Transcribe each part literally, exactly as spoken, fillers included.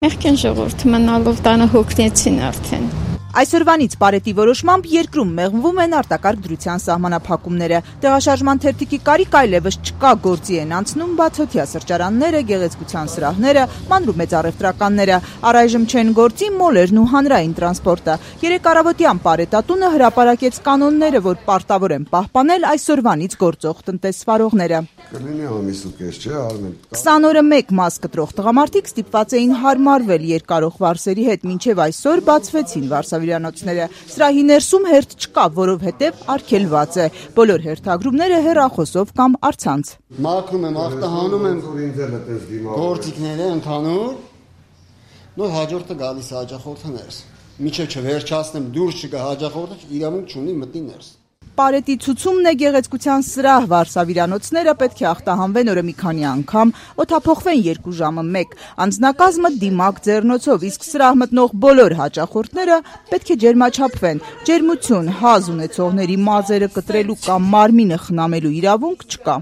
Մեղքեն ժողովուրդ մնալով տանը հոգնեցին արդեն։ Այսօրվանից Պարետի որոշմամբ երկրում մեղմվում են արտակարգ դրության սահմանափակումները։ Տեղաշարժման թերթիկի կարիք այլևս չկա, գործի են անցնում բացօթյա սրճարանները, գեղեցկության սրահները, մանր ու մեծ առևտրականները։ Առայժմ չեն գործի մոլերն ու հանրային տրանսպորտը։ Երեկ առավոտյան Պարետատունը հրապարակեց կանոնները, որ պարտավոր են պահպանել այսօրվանից գործող տնտեսվարողները։ քսան օրը մեկ մաս կտրող տղամարդիկ ստիպված էին հարմարվել երկարող վարսերի հետ, մինչև այսօր բացվեցին վարսավիրանոցները։ Սրահի ներսում հերթ չկա, որովհետև արգելված է։ Բոլոր հերթագրումները հեռախոսով կամ առցանց։ Մաքրում եմ, ախտահանում եմ գործիքները ընդհանուր, նոր հաջորդը գալիս է հաճախորդը ներս։ Մինչև չվերջացնեմ դուրս չգա հաճախորդը, իրավունք չունի մտնի ներս։ Պարետի ցուցումն է գեղեցկության սրահ, վարսավիրանոցները պետք է ախտահանվեն օրը մի քանի անգամ, օդափոխվեն երկու ժամը մեկ, անձնակազմը դիմակ ձեռնոցով, իսկ սրահ մտնող բոլոր հաճախորդները պետք է ջերմաչափվեն։ Ջերմություն, հազ ունեցողների մազերը կտրելու կամ մարմինը խնամելու իրավունք չկա։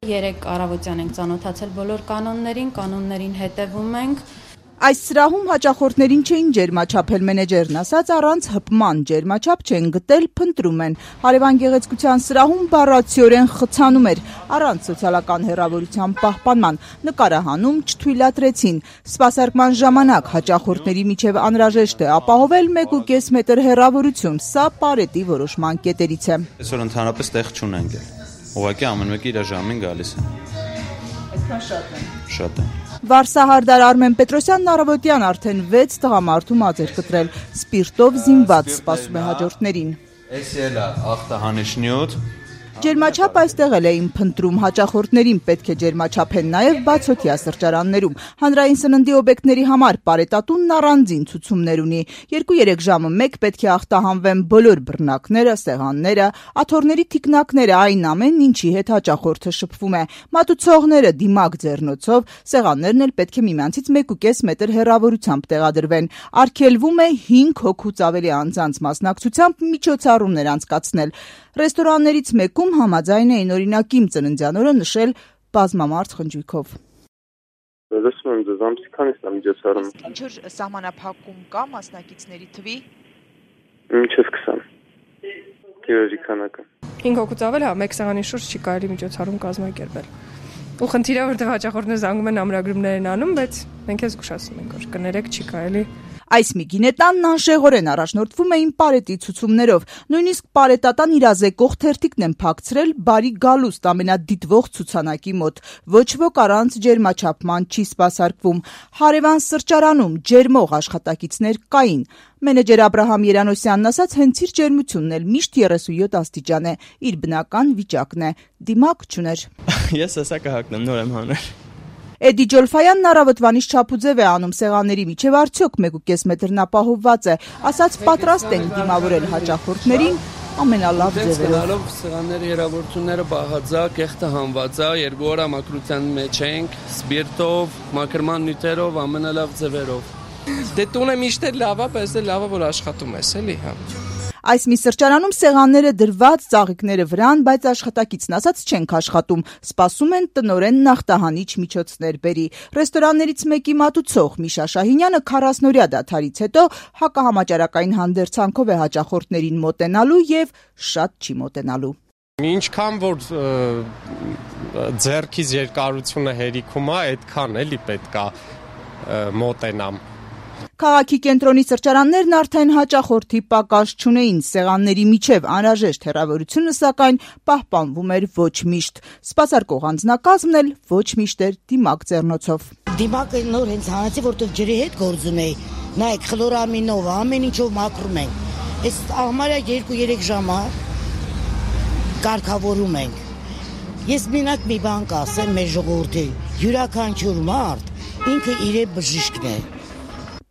Երեք առավոտյան ենք ծանոթացել բոլոր կանոններին, կանոններին հետևում ենք։ Այս սրահում հաճախորդներին չէին ջերմաչափել, մենեջերն ասաց, առանց հպման ջերմաչափ չեն գտել, փնտրում են։ Հարևան գեղեցկության սրահում բառացիորեն խցանում էր, առանց սոցիալական հեռավորության պահպանման, նկարահանում չթույլատրեցին։ Սպասարկման ժամանակ հաճախորդների միջև անհրաժեշտ է ապահովել մեկ ու կես մետր հեռավորություն, սա Պարետի որոշման կետերից է։ Այսօր ընդհանրապես տեղ չունենք, ուղղակի ամեն մեկը իր ժամին գալիս է։ Այսքան շատ է։ Շատ է։ Վարսահարդար Արմեն Պետրոսյանն առավոտյան արդեն վեց տղամարդու մաձ էր կտրել, սպիրտով զինված սպասում է հաջորդներին։ Էս էլ է ախտահանիչ նյութ։ Ջերմաչափ այստեղ էլ էին փնտրում, հաճախորդներին պետք է ջերմաչափեն նաև բացօթյա սրճարաններում։ Հանրային սննդի օբյեկտների համար Պարետատունն առանձին ցուցումներ ունի։ Երկու-երեք ժամը մեկ պետք է ախտահանվեն բոլոր բռնակները, սեղանները, աթոռների թիկնակները, այն ամենն, ինչի հետ հաճախորդը շփվում է։ Մատուցողները դիմակ ձեռնոցով, սեղաններն էլ պետք է միմյանցից մեկ ու կես մետր հեռավորությամբ տեղադրվեն։ Արգելվում է հինգ հոգուց ավելի անձանց մասնակցությամբ միջոցառումներ անցկացնել։ Ռեստորաններից մեկում համաձայն էին օրինակ իմ ծննդյան օրը նշել բազմամարդ խնջույքով։ Լսում եմ ձեզ, ամսի քանիսն է միջոցառումը։ Ինչ-որ սահմանափակում կա մասնակիցների թվի։ Մինչև քսան։ Գերեզի քանակը։ հինգ հոգուց ավել, հա, մեկ սեղանի շուրջ չի կարելի միջոցառում կազմակերպել։ Ու խնդիրը որտեղ հաճախորդները զանգում են ամրագրումներ են անում, բայց մենք էս զգուշացնում ենք, որ կներեք չի կարելի։ Այս Միգինետանն անշեղորեն առաջնորդվում էին Պարետի ցուցումներով, նույնիսկ Պարետատան իրազեկող թերթիկն են փակցրել բարի գալուստ ամենադիտվող ցուցանակի մոտ։ Ոչ ոք առանց ջերմաչափման չի սպասարկվում։ Հարևան սրճարանում ջերմող աշխատակիցներ կային։ Մենեջեր Աբրահամ Երանոսյանն ասաց, հենց իր ջերմությունն էլ միշտ երեսունյոթ աստիճան է, իր բնական վիճակն է, դիմակ չուներ։ Ես հեսա կհակնեմ, նոր եմ հանել։ Էդի Ջոլֆայանն առավոտվանից չափուձև է անում սեղանների միջև արդյոք մեկ ու կես մետրն ապահովված է, ասաց պատրաստ են դիմավորել հաճախորդներին ամենալավ ձևերով։ Սեղանների հեռավորությունները բաղաձա, կեղտը հանվածա, երկու օր մաքրության մեջ ենք, սպիրտով, մաքրման նյութերով, ամենալավ ձևերով։ Դե տունը միշտ էլ լավ է, բայց էլ լավ է որ աշխատում ես, էլի, հա։ Այս մի սրճարանում սեղանները դրված, ծաղիկները վրան, բայց աշխատակիցն ասաց չենք աշխատում, սպասում են տնօրեն նախտահանիչ միջոցներ բերի։ Ռեստորաններից մեկի մատուցող Միշա Շահինյանը քառասնօրյա դադարից հետո հակահամաճարակային հանդերձանքով է հաճախորդներին մոտենալու եւ շատ չի մոտենալու։ Ինչքան որ ձեռքից երկարությունը հերիքում է, այդքան էլի պետքա մոտենամ։ Քաղաքի կենտրոնի սրճարաններն արդեն հաճախորդի պակաս չունեին, սեղանների միջև անհրաժեշտ հեռավորությունը սակայն պահպանվում էր ոչ միշտ։ Սպասարկող անձնակազմն էլ ոչ միշտ էր դիմակ ձեռնոցով։ Դիմակը նոր հենց հանեցի, որտեղ ջրի հետ գործ ունեի։ Նայեք, խլորամինով, ամեն ինչով մաքրում ենք։ Այս համարյա երկու-երեք ժամ է կարգավորում ենք։ Ես մենակ մի բան կասեմ մեր ժողովրդի, յուրաքանչյուր մարդ ինքը իր բժիշկն է։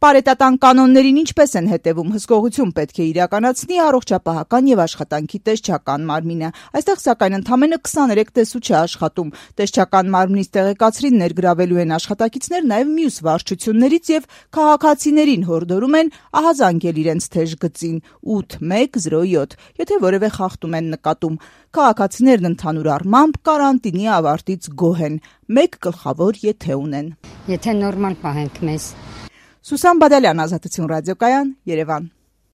Պարետատան կանոններին ինչպես են հետևում, հսկողություն պետք է իրականացնի առողջապահական եւ աշխատանքի տեսչական մարմինը։ Այստեղ սակայն ընդամենը քսաներեք տեսու չէ աշխատում։ Տեսչական մարմնից տեղեկացրին ներգրավելու են աշխատակիցներ նաեւ մյուս վարչություններից եւ քաղաքացիներին հորդորում են ահազանգել իրենց թեժ գծին ութ մեկ զրո յոթ, եթե որևէ խախտում են նկատում։ Քաղաքացիներն ընդհանուր առմամբ կարանտինի ավարտից գոհ են։ Մեկ գլխավոր եթե ունեն։ Եթե նորմալ պահենք մեզ Սուսան Բադալյան, Ազատություն ռադիոկայան, Երևան։